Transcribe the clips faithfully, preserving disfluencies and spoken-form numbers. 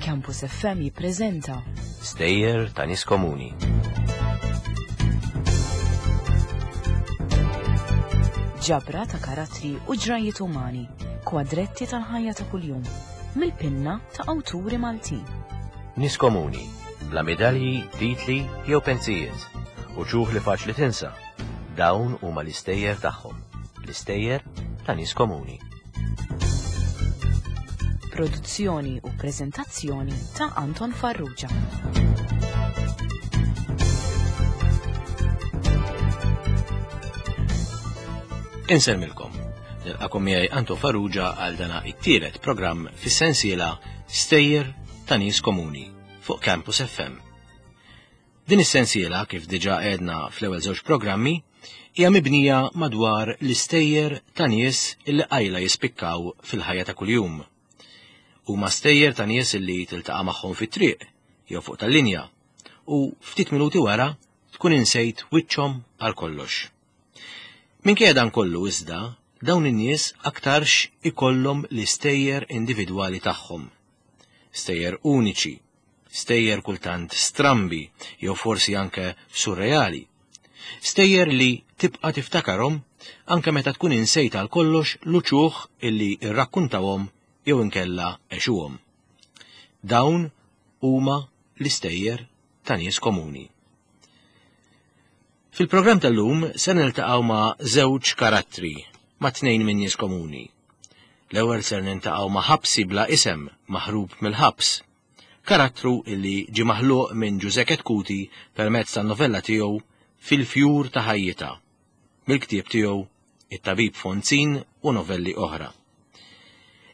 Campus F M jippreżenta Stejjer ta' nies komuni. Ġabra ta' karattri u ġrajiet umani, kwadretti tal-ħajja ta' kuljum, mill-pinna ta' awturi Maltin. Nies komuni, bla medalji, titli jew pensijiet, u ċuħ li faċli tinsa. Dawn huma l-istejjer tagħhom, l-istejjer ta' nies komuni. Produzzjoni u preżentazzjoni ta' Anton Farrugia. Insellmilkom. Nilqakom miegħi Anton Farrugia għal dana it-tielet programm fis-sensiela Stejjer ta' Nies Komuni fuq Campus F M. Din is-sensiela, kif diġà għedna fl-ewwel żewġ programmi, hija mibnija madwar l-istejjer ta' nies illi qajla jispikkaw fil-ħajja ta' kuljum. Huma stejjer ta' nies illi tiltaqa' magħhom fit-triq jew fuq tal-linja u ftit minuti wara tkun insejt wiċċhom għal kollox. Minkejja dan kollu iżda, dawn in-nies aktarx ikollhom l-istejjer individwali tagħhom. Stejjer uniċi, stejjer kultant strambi jew forsi anke surreali. Stejjer li tibqa' tiftakarhom anke meta tkun insejt għal kollox l-uċuħ illi rrakkuntawhom jew inkella għexuhom. Dawn huma l-istejjer ta' nies komuni. Fil-programm tal-lum se niltaqgħu ma' żewġ karattri, ma' tnejn minn nies komuni. L-ewwel ser niltaqgħu ma' ħabsi bla isem maħrub mill-ħabs, karattru illi ġie maħluq minn Ġużè Chetcuti permezz tan-novella tiegħu Fil-fjur ta' ħajjitha, mill-ktieb tiegħu It-Tabib Fonzin u novelli oħra.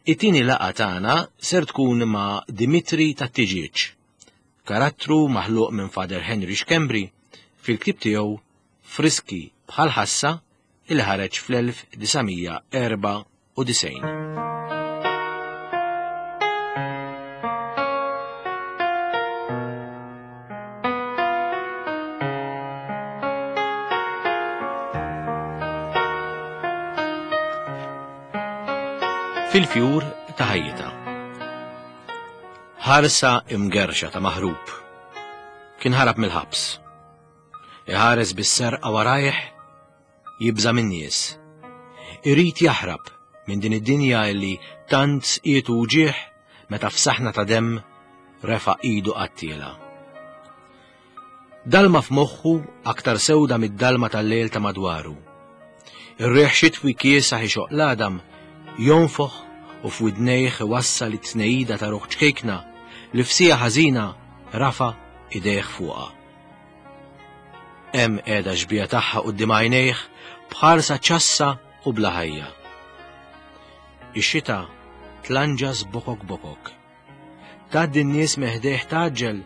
It-tieni laqgħa tagħna ser tkun ma' Dimitri tat-Tiġieġ, karattru maħluq minn Father Henry Schembri fil-ktieb tiegħu Friski bħal ħassa il ħareġ fl-elf disa' erba' u disgħin. Fil-fjur ta' ħajjitha. Ħarsa imgerxa ta' maħrub. Kien ħarab mill-ħabs. Iħares bis-serqa warajh, jibża' min-nies. Irid jaħrab minn din id-dinja illi tant sqietu uġieħ meta f'saħna ta' demm refa' idu qattiela. Dalma f'moħħu aktar sewda mid-dalma tal-lejl ta' madwaru. Ir-riħ xitwi kiesaħ ixoq l-għadam, jonfoħ u f'widnejh iwassal it-tnejida ta' ruħ ċkejkna li f'sija ħażina rafa' idejh fuqha. Hemm qiegħda xbija tagħha quddiem għajnejh b'ħarsa ċassa u bla ħajja. Ix-xita tlanġas bokok bokok. Tgħaddi n-nies meħdejh taġġel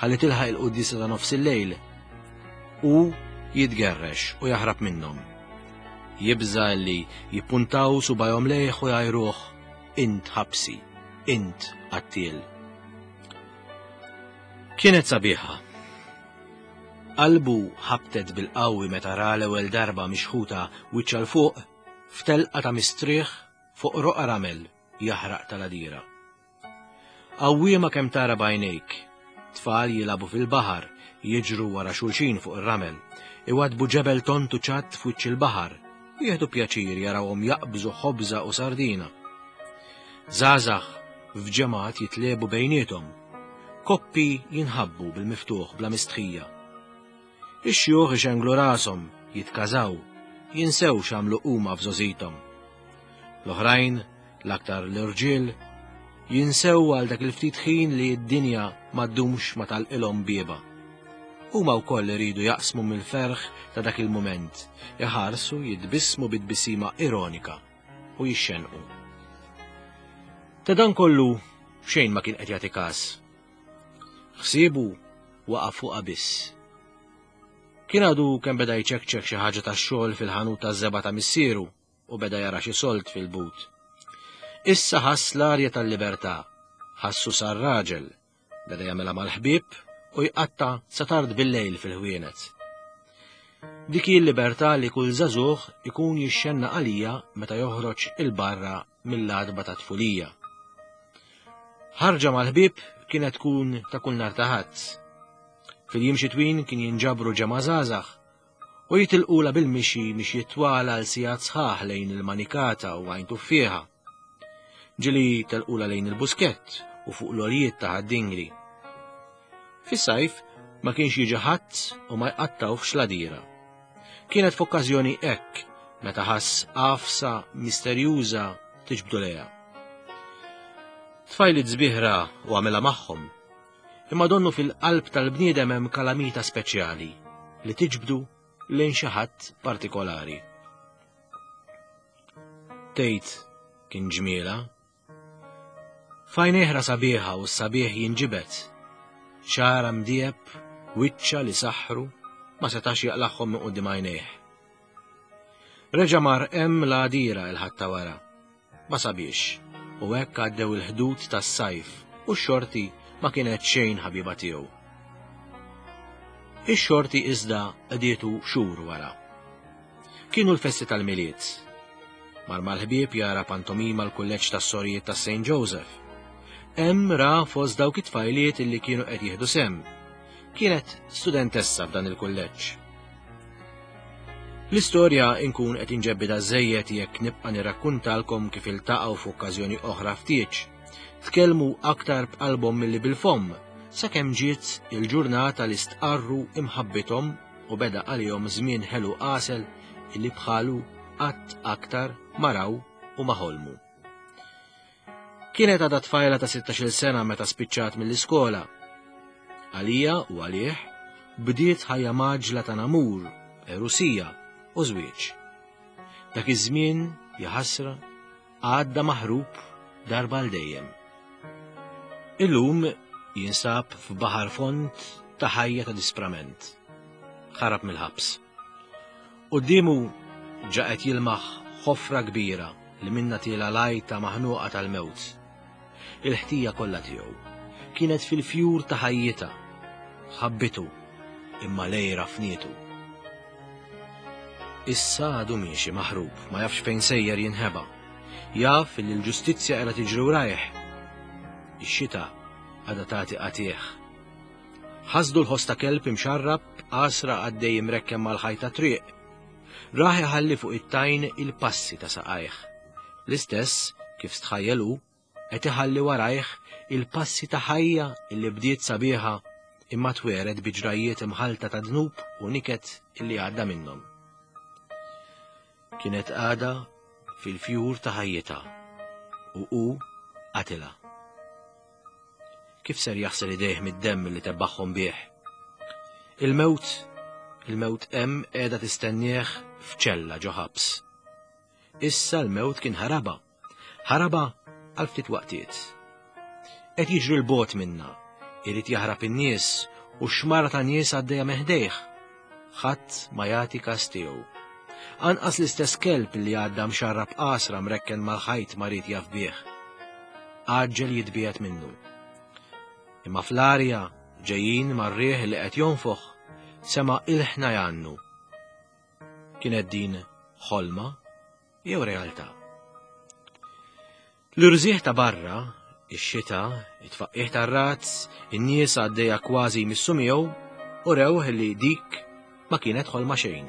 ħalli tilħaq il-quddiesa ta' nofs il-lejl. U jitgerrex u jaħrab minnhom. Jibża li jippuntaw subajhom lejh u jgħajruh, int ħabsi, int qattiel. Kienet sabiħa. Qalbu ħabtet bil-qawwi meta ra l-ewwel darba mixħuta wiċċ għal fuq f'telqa ta' mistrieħ fuq roqa ramel jaħraq tal-għadira. Qawwiema kemm tara b'għajnejk, tfal jilagħbu fil-baħar, jiġru wara xulxin fuq ir-ramel, iwadbu ġebel tontu ċatt f'wiċċ il-baħar, u jieħdu pjaċir jarawhom jaqbżu ħobża u sardina. Żgħażagħ f'ġemgħat jitlebu bejniethom, koppi jinħabbu bil-miftuħ bla mistħija. Ix-xjuħ ixenglu rashom, jitkażaw, jinsew x'għamlu huma f'żożithom. L-oħrajn, l-aktar l-irġiel, jinsew għal dak il-ftit ħin li d-dinja ma ddumx ma talqilhom bieba. Huma wkoll iridu jaqsmu mill-ferħ ta' dak il-mument, iħarsu jitbissmu bit-tbissima ironika u jixxenqu. Ta' dan kollu xejn ma kien qed jagħti każ. Ħsiebu waqa' fuqha biss. Kien għadu kemm beda jċekċek xi ħaġa tax-xogħol fil-ħanut taż-żebgħa ta' missieru u beda jara xi solt fil-but. Issa ħass l-arja tal-libertà, ħassu sar raġel, beda jagħmilha mal-ħbieb u jqatta' sa tard bil-lejl fil-ħwienet. Dik hi l-libertà li kull żagħżugħ ikun jixxenna għalija meta joħroġ il-barra mill-għadba ta' tfulija. Ħarġa mal-ħbieb kienet tkun ta' kull nhar ta' Ħadd. Fil-jiem xitwin kien jinġabru ġemgħa żgħażagħ u jitilqula bil-mixi mixi twala għal sigħat sħaħ lejn il-Manikata u Għajn Tuffieħa. Ġieli telqula lejn il-Buskett u fuq l-għoljiet ta' Ħad-Dingli. Fis-sajf ma kienx jiġi ħadd u ma jqattawx l-għadira. Kienet f'okkażjoni hekk meta ħass għafsa misterjuża tiġbdu lejha. Tfajliet sbieħ ra u għamilha magħhom, imma donnu fil-qalb tal-bniedem hemm kalamita speċjali li tiġbdu lejn xi ħadd partikolari. Tgħid kien ġmiela. F'għajnejh ra sabiħa u s-sabiħ jinġibed. Xagħarha mdieheb, wiċċha li saħħru, ma setax jaqlagħhom minn quddiem għajnejh. Reġa' mar hemm l-għadira il-Ħadd ta' wara. Ma sabiex, u hekk għaddew il-ħdud tas-sajf u x-xorti ma kienet xejn ħabiba tiegħu. Ix-xorti iżda qdietu xhur wara. Kienu l-festi tal-Milied. Mar mal-ħbieb jara pantomima l-kulleġġ tas-sorijiet ta' Saint Joseph. Hemm ra fost dawk it-tfajliet illi kienu qed jieħdu sehem. Kienet studentessa f'dan il-kulleġġ. L-istorja inkun qed inġebbidha żejjed jekk nibqa' nirrakkuntalkom kif iltaqgħu f'okkażjoni oħra f'tieġ. Tkellmu aktar b'qalbhom milli bil-fomm, sakemm ġiet il-ġurnata li stqarru imħabbithom u beda għalihom żmien ħelu għasel illi bħalu qatt aktar ma raw u ma ħolmu. Kienet għadha tfajla ta' sittax-il sena meta spiċċat mill-iskola. Għalija u għalih bdiet ħajja maġla ta' namur, erusija u żwieġ. Dak iż-żmien, jaħasra, għadda maħrub darba għal dejjem. Illum jinsab f'baħar fond ta' ħajja ta' disprament. Ħarab mill-ħabs. Quddiemu ġa qed jilmaħ ħofra kbira li minna tiela lajta maħnuqa tal-mewt. Il-ħtija kollha tiegħu kienet fil-fjur ta' ħajjitha. Ħabbitu imma lejra fnietu. Issa għadu miexi maħrub, ma jafx fejn sejjer jinħeba. Jaf li l-ġustizzja qiegħda tiġri warajh. Ix-xita għadha tagħti qatih. Ħasdu l-ħoss ta' kelb imxarrab għasra għaddej imrekkem mal-ħajta triq. Raħ iħalli fuq it-tajn il-passi ta' saqajh. L-istess kif stħajjelu qed iħalli warajh il-passi ta' ħajja illi bdiet sabiħa imma tweret bi ġrajiet imħalta ta' dnub u niket illi għadda minnhom. Kienet għada fil-fjur ta' ħajjitha u hu qatilha. Kif ser jaħsel idejh mid-demm li tebbaħhom bih? Il-mewt, il-mewt hemm qiegħda tistennieh f'ċella ġo ħabs. Issa l-mewt kien ħaraba, ħaraba għal ftit waqtiet. Qed jiġri l-bot minna, irid jaħrab in-nies u xmara ta' nies għaddejja meħdejh. Ħadd ma jagħti każ tiegħu. Anqas l-istess kelb li għadda mxarrab qasra mrekken mal-ħajt ma ried jaf bih. Għaġġel jitbiegħed minnu. Imma fl-arja ġejjin mar-riħ li qed jonfoħ sema' ilħna jgħannu. Kienet din ħolma jew realtà? L-irżieħ ta' barra, ix-xita, it-tfaqqih tar-razz, in-nies għaddejja kważi jmissu miegħu u rewh li dik ma kienet ħolma xejn.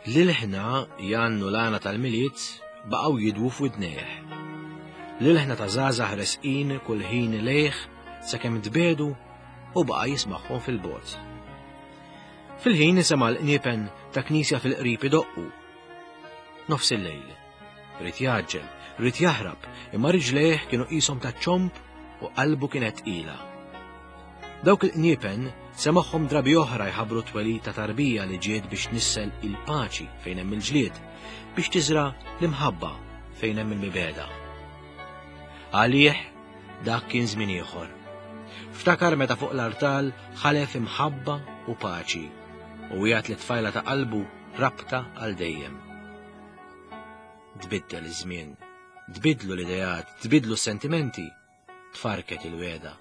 L-ilħna jgħannu l-għana tal-Milied baqgħu jidwu f'widnejh. L-ilħna ta' żgħażagħ resqin kull ħin lejh sakemm tbedu u baqa' jismagħhom fil-bogħod. Fil-ħin sema' l-qniepen ta' knisja fil-qrib idoqqu. Nofs il-lejl. Ried jgħaġġel, ried jaħrab, imma riġlejh kienu qishom ta' ċomb u qalbu kienet tqila. Dawk il-qniepen semagħhom drabi oħra jħabbru t-twelid ta' tarbija li ġiet biex tnissel il-paċi fejn hemm il-ġlied, biex tiżra l-imħabba fejn hemm il-mibegħda. Għalih dak kien żmien ieħor. Ftakar meta fuq l-artal ħalef imħabba u paċi u wiegħed li tfajla ta' qalbu rabta għal dejjem. Tbiddel iż-żmien, tbidlu l-ideat, tbidlu s-sentimenti, tfarket il-weda.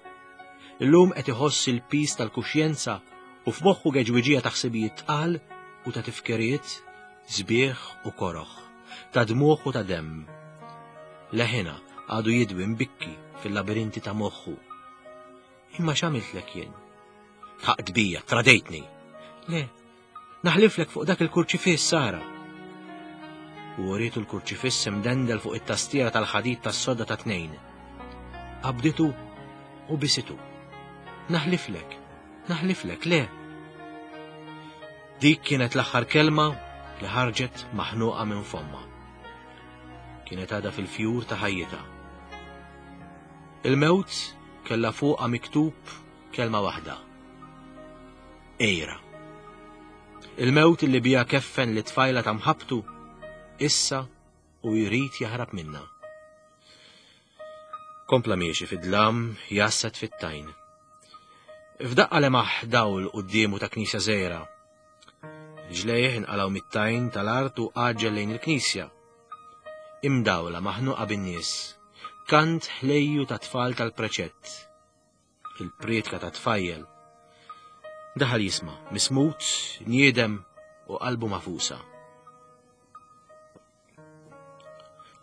Illum qed iħoss il-pis tal-kuxjenza u f'moħħu geġwiġija ta' ħsibijiet tqal u ta' tifkiriet, sbieħ u koroħ, ta' dmuħ u ta' demm. Leħina għadu jidwi mbikki fil-labirinti ta' moħħu. Imma x'għamiltlek jien? Tħaqt bija, tradejtni. Le, naħliflek fuq dak il-kurċifiss, Sara. U uritu l-kurċifiss imdendel fuq it-tastiera tal-ħadid tas-sodda ta' tnejn. Qabditu u bisitu. Naħliflek, naħliflek, le. Dik kienet l-aħħar kelma li ħarġet maħnuqa minn fomma. Kienet għadha fil-fjur ta' ħajjitha. Il-mewt kellha fuqha miktub kelma waħda. Ejra. Il-mewt li bija keffen li tfajla ta' mħabtu issa u jrid jaħrab minna. Kompla miexi fid-dlam jasset fit-tajn. F'daqqa lemaħ dawl quddiemu ta' knisja żgħira. Ġlejh inqalgħu mit-tajn tal-art u għaġġel lejn il-knisja. Imdawla maħnuqa bin-nies. Kant ħlejju ta' tfal tal-preċett. Il-prietka ta' tfajjel. Daħal jisma', mismut, niedem u qalbu mafusa.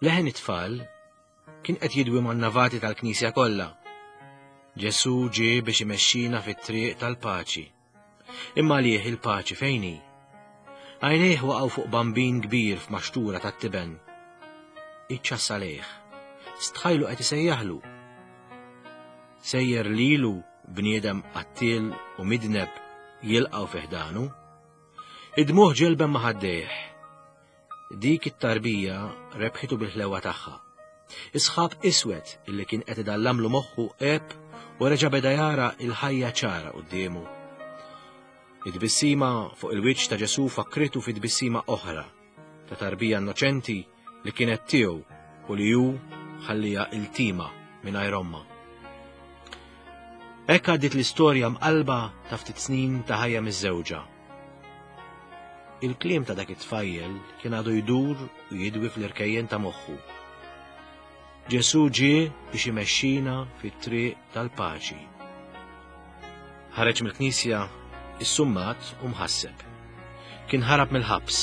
Leħen it-tfal kien qed jidwi man-navati tal-knisja kollha. Ġesu ġie biex imexxina fit-triq tal-paċi. Imma għalih il-paċi fejn hi? Għajnejh waqgħu fuq bambin kbir f'maxtura tat-tiben. Iċċassa lejh. Stħajlu qed isejjaħlu. Sejjer lilu bniedem qattiel u midneb jilqgħu fi ħdanu. Id-dmuħ ġelben ma' ħaddejh. Dik it-tarbija rebħitu bil-ħlewa tagħha. Isħab iswed illi kien qed idallamlu moħħu għeb u reġa' beda jara il-ħajja ċara quddiemu. It-tbissima fuq il-wiċċ ta' Ġesu fakkritu fi tbissima oħra ta' tarbija innoċenti li kienet tiegħu u li hu ħallija iltima mingħajr omma. Hekk għaddiet l-istorja mqalba ta' ftit snin ta' ħajja miż-żewġa. Il-kliem ta' dak it-tfajjel kien għadu jdur u jidwi fl-irkejjen ta' moħħu. Ġesu ġie biex imexxina fit-triq tal-paċi. Ħareġ mill-knisja issummat u mħasseb. Kien ħarab mill-ħabs.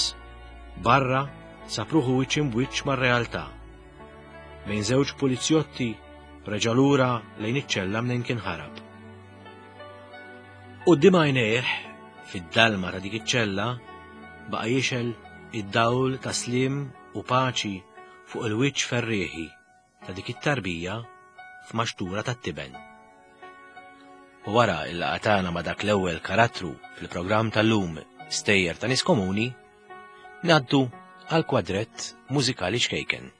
Barra sab ruħu wiċċ imbwiċċ mar-realtà. Bejn żewġ pulizjotti reġa' lura lejn iċ-ċella mnejn kien ħarab. Quddiem għajnejh, fid-dalma ta' dik iċ-ċella, baqa' jixel id-dawl ta' slim u paċi fuq il-wiċċ ferrieħi ta' dik it-tarbija f'maxtura tat-tiben. U wara il-laqgħa tagħna ma' dak l-ewwel karattru fil-programm tal-lum Stejjer ta' Nies Komuni, ngħaddu għal kwadrett mużikali ċkejken.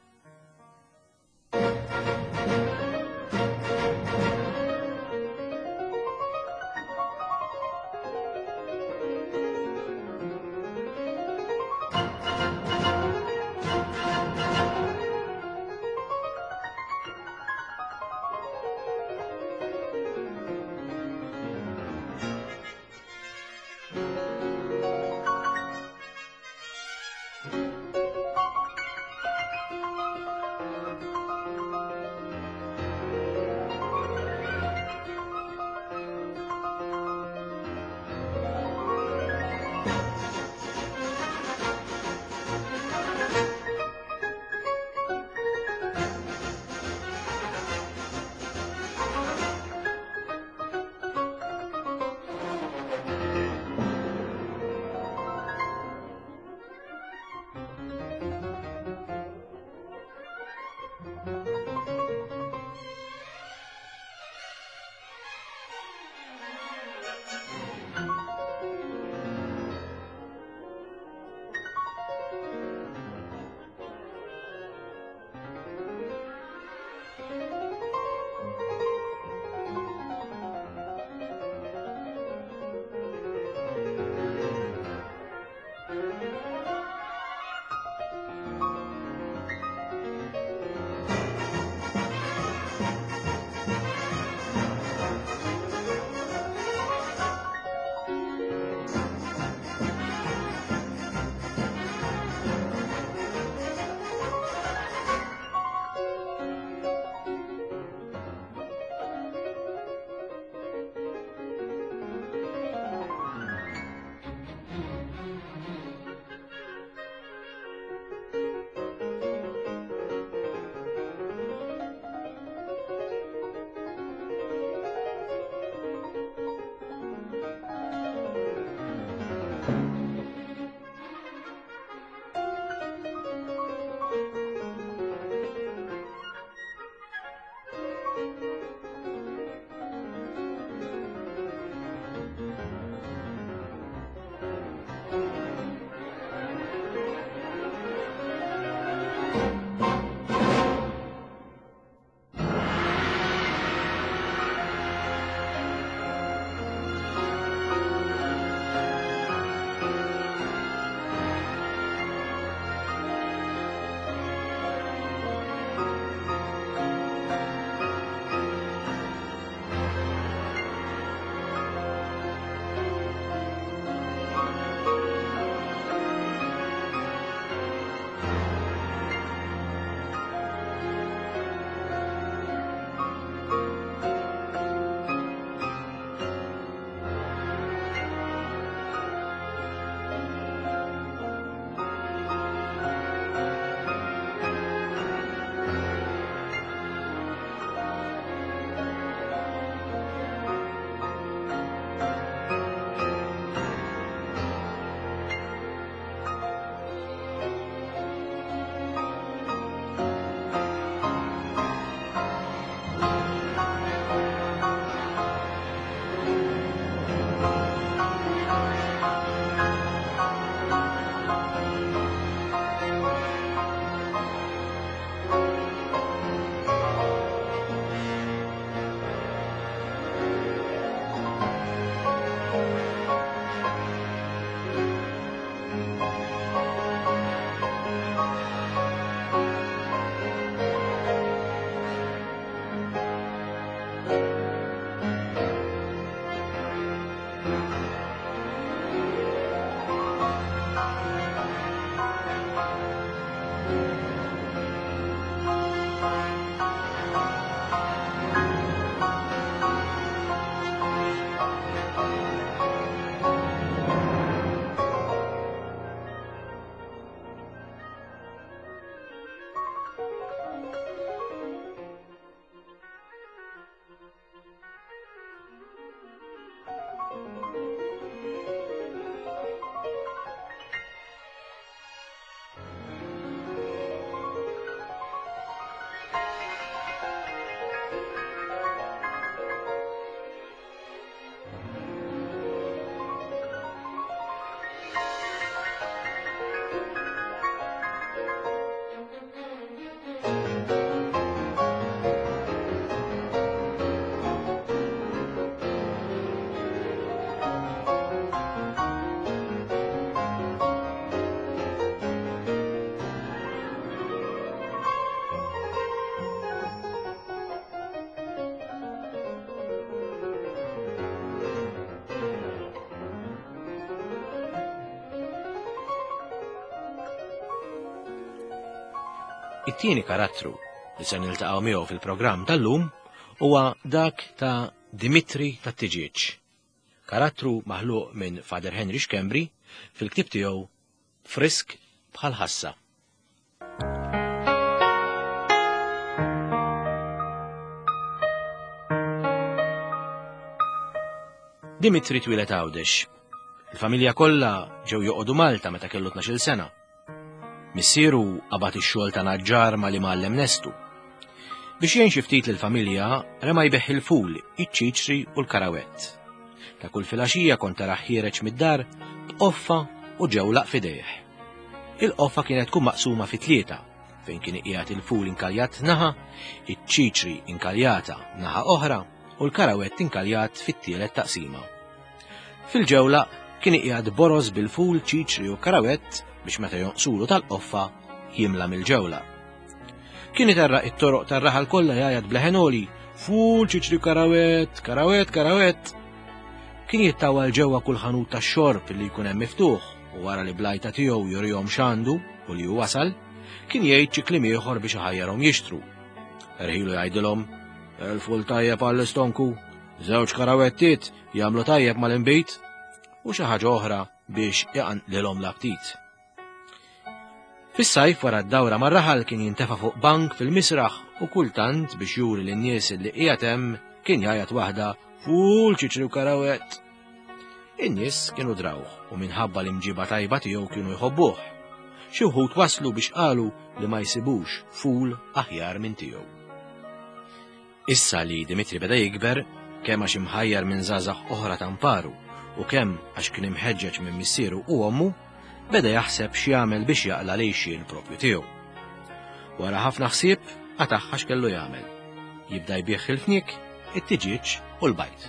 It-tieni karattru li se niltaqgħu miegħu fil-programm tal-lum huwa dak ta' Dimitri tat-Tiġieġ. Karattru maħluq minn Father Henry Schembri fil-ktieb tiegħu Frisk bħal ħassa. Dimitri twieled Għawdex. Il-familja kollha ġew joqogħdu Malta meta kellu tnax-il sena. Missieru qabad ix-xogħol ta' naġġar ma' li mgħallem Nestu. Biex jgħin xi ftit lill-familja, rema jbeħ il-ful, iċ-ċiċri u l-karawett. Ta' kull filgħaxija kont taraħ ħiereġ mid-dar b'qoffa u ġewlaq f'idejh. Il-qoffa kienet tkun maqsuma fi tlieta, fejn kien iqiegħed il-ful inkaljat naħa, iċ-ċiċri inkaljata naħa oħra u l-karawett inkaljat fit-tielet taqsima. Fil-ġewla kien iqiegħed boroż bil-ful, ċiċri u karawett biex meta jonqsulu tal-qoffa jimla mill-ġewla. Kien iterraq it-toroq tar-raħal kollha jgħajjat bleħenoli, ful, ċiċri, karawett, karawett, karawett. Kien jittawal ġewwa kull ħanut tax-xorb li jkun hemm miftuħ u wara li blajta tiegħu jurihom x'għandu u li hu wasal, kien jgħid xi kliem ieħor biex iħajjarhom jixtru. Erħilu jgħidilhom, il-ful tajjeb għall-istonku, żewġ karawettiet jagħmlu tajjeb mal-inbid, u xi ħaġa oħra biex iqanqlilhom l-aptit. Fis-sajf wara d-dawra mar-raħal kien jintefa' fuq bank fil-misraħ u kultant biex juri lin-nies li qiegħed hemm kien jgħajjat waħda ful ċiċri u karawett. In-nies kienu drawh u minħabba l-imġiba tajba tiegħu kienu jħobbuh. Xi wħud waslu biex qalu li ma jsibux ful aħjar minn tiegħu. Issa li Dimitri beda jikber, kemm għax imħajjar minn żgħażagħ oħra tamparu u kemm għax kien imħeġġeġ minn missieru u ommu, beda jaħseb x'jagħmel biex jaqla' l-għixien propju tiegħu. Wara ħafna ħsieb, qatagħha x'kellu jagħmel. Jibda jbigħ il-fniek, it-tiġieġ u l-bajd.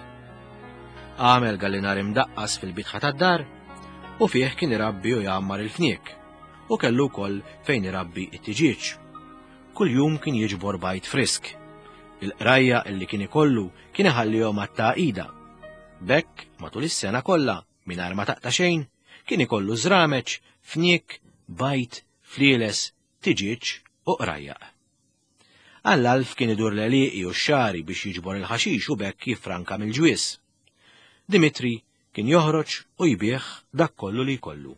Għamel gallinar imdaqqas fil-bitħa tad-dar u fih kien irabbi u jgħammar il-fniek u kellu wkoll fejn irabbi it-tiġieġ. Kuljum kien jiġbor bajd frisk. Il-qrajja illi kien ikollu kien iħallihom għat-tagħqida. B'hekk matul is-sena kollha mingħajr ma taqta' xejn kien ikollu żrameċ, fniek, bajd, flieles, tiġieġ u qrajjaq. Għall-għalf kien idur l-għelieqi u x-xagħri biex jiġbor il-ħaxix u b'hekk jiffranka mill-ġwies. Dimitri kien joħroġ u jbigħ dak kollu li jkollu.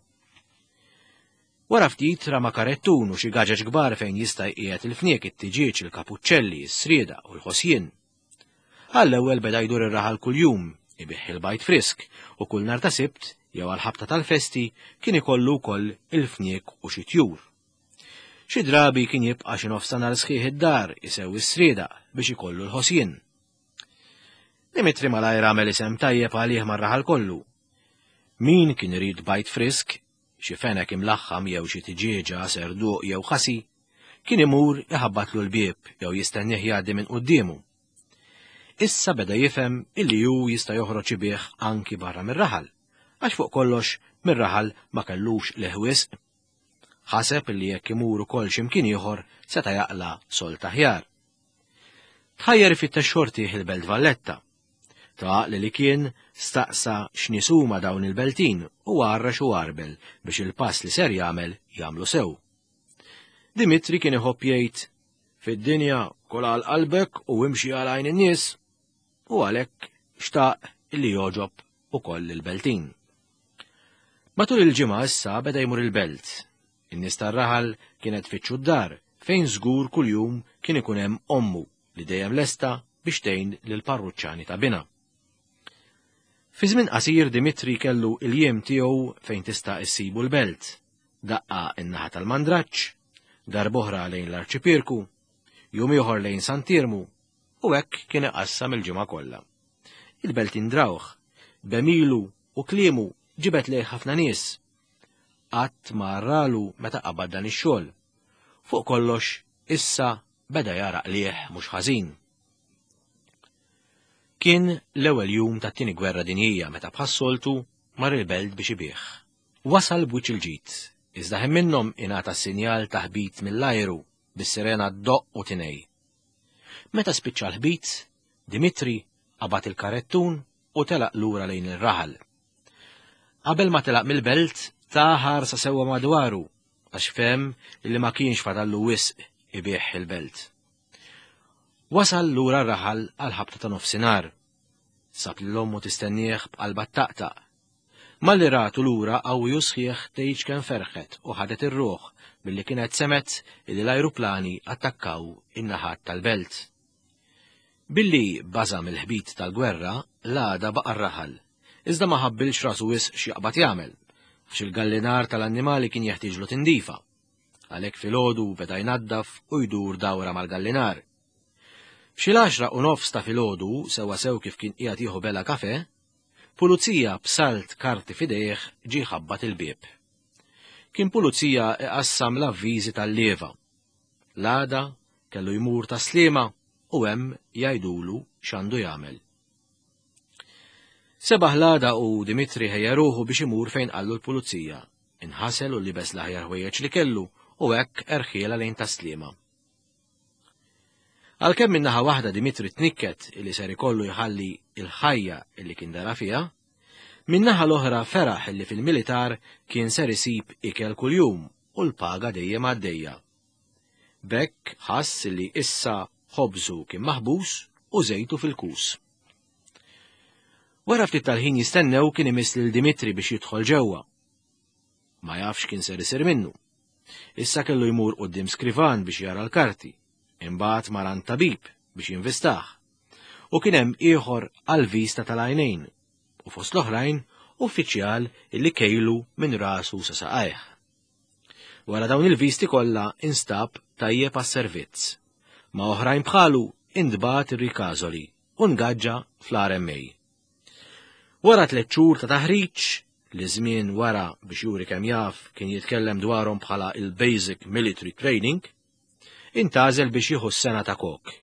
Wara ftit rama karettun u xi gaġeġ kbar fejn jista' jqiegħed il-fniek, it-tiġieġ, il-kapuċċelli, is-srieda u l-ħosjien. Għall-ewwel beda jdur ir-raħal kuljum, ibigħ il-bajd frisk u kull nhar ta' Sibt jew għall-ħabta tal-festi kien ikollu wkoll il-fniek u xi tjur. Xi drabi kien jibqa' xi nofs ta' nhar sħiħ id-dar isewwi s-srieda biex ikollu l-ħosjien. Dimitri malajr għamel isem tajjeb għalih mar-raħal kollu. Min kien irid bajd frisk, xi fenek imlaħħam jew xi tiġieġa, serduq jew ħasi, kien imur iħabbatlu l-bieb jew jistennih jgħaddi minn quddiemu. Issa beda jifhem illi hu jista' joħroġ ibigħ anki barra mir-raħal, għax fuq kollox mir-raħal ma kellux qligħ wisq. Ħaseb illi jekk imur ukoll x'imkien ieħor seta' jaqla' sold aħjar. Tħajjar ifittex xortih il-Belt Valletta. Ta' li li kien staqsa x'nies huma dawn il-beltin u għarrex u għarbel biex il-pass li ser jagħmel jagħmlu sew. Dimitri kien iħobb jgħid fid-dinja kol għal qalbek u imxi għal għajn in-nies u għalhekk xtaq illi jogħġob ukoll il-beltin. Matul il-ġimgħa issa beda jmur il-belt. In-nies tar-raħal kienet tfittxu d-dar fejn żgur kuljum kien ikun hemm ommu li dejjem lesta biex tgħin lill-parruċċani ta' binha. Fi żmien qasir Dimitri kellu il-jiem tiegħu fejn tista' issibu l-belt. Daqqa in-naħa tal-Mandraġġ, darb'oħra lejn l-Arċipierku, jum ieħor lejn Sant'Iermu, u hekk kien iqassam il-ġimgħa kollha. Il-belt indrawh, b'għemilu u kliemu ġibet lejh ħafna nies. Qatt ma rralu meta qabad dan ix-xogħol. Fuq kollox issa beda jara qligħ mhux ħażin. Kien l-ewwel jum tat-tieni gwerra dinjija meta bħas-soltu mar il-belt biex ibigħ. Wasal b'wiċċ il-ġid, iżda ħin minnhom ingħata sinjal ta' ħbit mill-ajru bis-sirena ddoqq u tinej. Meta spiċċa l-ħbit, Dimitri qabad il-karettun u telaq lura lejn ir-raħal. Qabel ma telaq mill-belt, ta ħarsa sewwa madwaru għax fehem li ma kienx fadallu wisq ibigħ il-belt. Wasal lura r-raħal għal ħabta ta' nofsinhar. Sab lil ommu tistennieh b'qalba taqtaq. Malli ratu lura qawwi u sħiħ tgħidx kemm ferħet u ħadet ir-ruħ billi kienet semgħet illi l-ajruplani attakkaw in-naħat tal-belt. Billi baża mill-ħbit tal-gwerra, l-għada baqa' r-raħal, iżda ma ħabbilx rasu wisq x'jaqbad jagħmel, għax il-gallinar tal-annimali kien jeħtieġlu tindifa. Għalhekk filgħodu beda jnaddaf u jdur dawra mal-gallinar. F'xi l-għaxra u nofs ta' filgħodu, sewwa sew kif kien qiegħed jieħu bela kafe, pulizija b'salt karti f'idejh ġie ħabbat il-bieb. Kien pulizija iqassam l-avviżi tal-lieva. L-għada kellu jmur Tas-Sliema u hemm jgħidulu x'għandu jagħmel. Sebaħ l-għada u Dimitri ħejja ruħu biex imur fejn qallu l-pulizija. Inħasel u libes l-aħjar ħwejjeġ li kellu u hekk erħiela lejn Tas-Sliema. Għalkemm min-naħa waħda Dimitri tnikket illi ser ikollu jħalli il-ħajja illi kien dara fiha, min-naħa l-oħra feraħ illi fil-militar kien ser isib ikel kuljum u l-paga dejjem għaddejja. B'hekk ħass illi issa ħobżu kien maħbus u żejtu fil-kus. Wara ftit tal-ħin jistennew kien imiss lil Dimitri biex jidħol ġewwa. Ma jafx kien ser isir minnu. Issa kellu jmur quddiem skrivan biex jara l-karti. Imbagħad mar għand tabib biex jinvistah. U kien hemm ieħor għal-vista tal-għajnejn u fost l-oħrajn uffiċjal illi kejlu minn rasu sa saqajh. Wara dawn il-visti kollha instab tajjeb għas-servizz. Ma oħrajn bħalu intbagħat ir-Ricasoli u ngaġġa fl-R M A. Wara tliet xhur ta' taħriġ, li żmien wara biex juri kemm jaf kien jitkellem dwarhom bħala il-Basic Military Training, intgħażel biex jieħu s-sengħa ta' kok.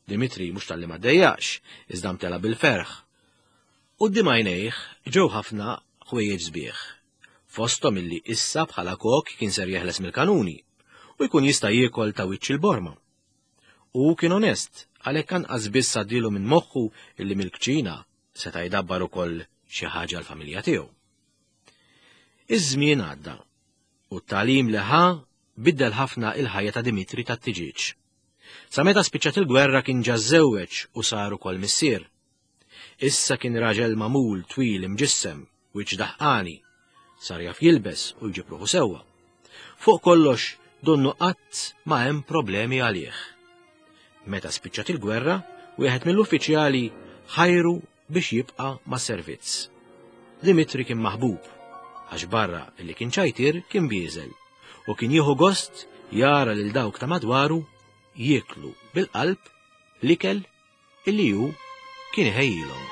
Dimitri mhux talli ma ddejjaqx, iżda mtela bil-ferħ. Quddiem għajnejh ġew ħafna ħwejjeġ sbieħ. Fosthom illi issa bħala kok kien ser jeħles mill-kanuni u jkun jista' jiekol ta' wiċċ il-borma. U kien onest, għalhekk anqas biss għaddielu minn moħħu illi mill-kċina seta' jdabbar ukoll xi ħaġa l-familja tiegħu. Iż-żmien għadda u t-tagħlim li ħa biddel ħafna il-ħajja ta' Dimitri tat-tiġieġ. Sa meta spiċċat il-gwerra kien ġa żżewweġ u sar ukoll missier. Issa kien raġel magħmul twil imġissem, wiċċ daħqani, sar jaf jilbes u jġib ruħu sewwa. Fuq kollox donnu qatt ma hemm problemi għalih. Meta spiċċat il-gwerra, wieħed mill-uffiċjali ħajru biex jibqa' mas-servizz. Dimitri kien maħbub, għax barra li kien ċajtir kien bieżel u kien jieħu gost jara lil dawk ta' madwaru jieklu bil-qalb l-ikel illi hu kien iħejjilhom.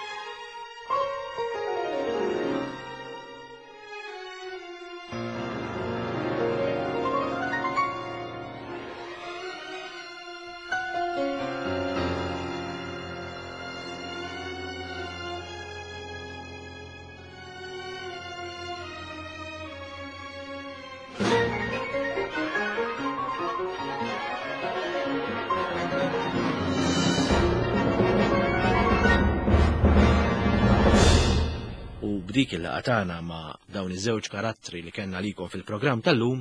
U b'dik il-laqgħa tagħna ma' dawn iż-żewġ karattri li kellna għalikom fil-programm tal-lum,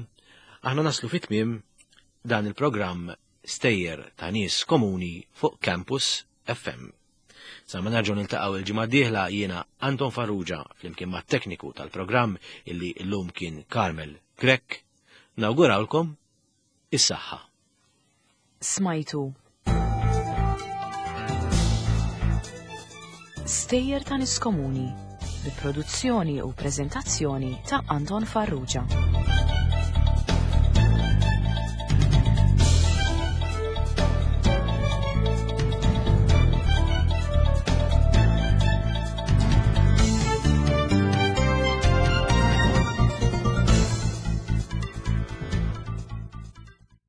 aħna naslu fit-tmiem dan il-programm Stejjer ta' Nies Komuni fuq Campus F M. Sa ma nerġgħu niltaqgħu il-ġimgħa d-dieħla, jiena Anton Farrugia flimkien mat-tekniku tal-programm illi llum kien Carmel Grech, nawgurawlkom is-saħħa. Smajtu Stejjer ta' Nies Komuni bi produzzjoni u preżentazzjoni ta' Anton Farrugia.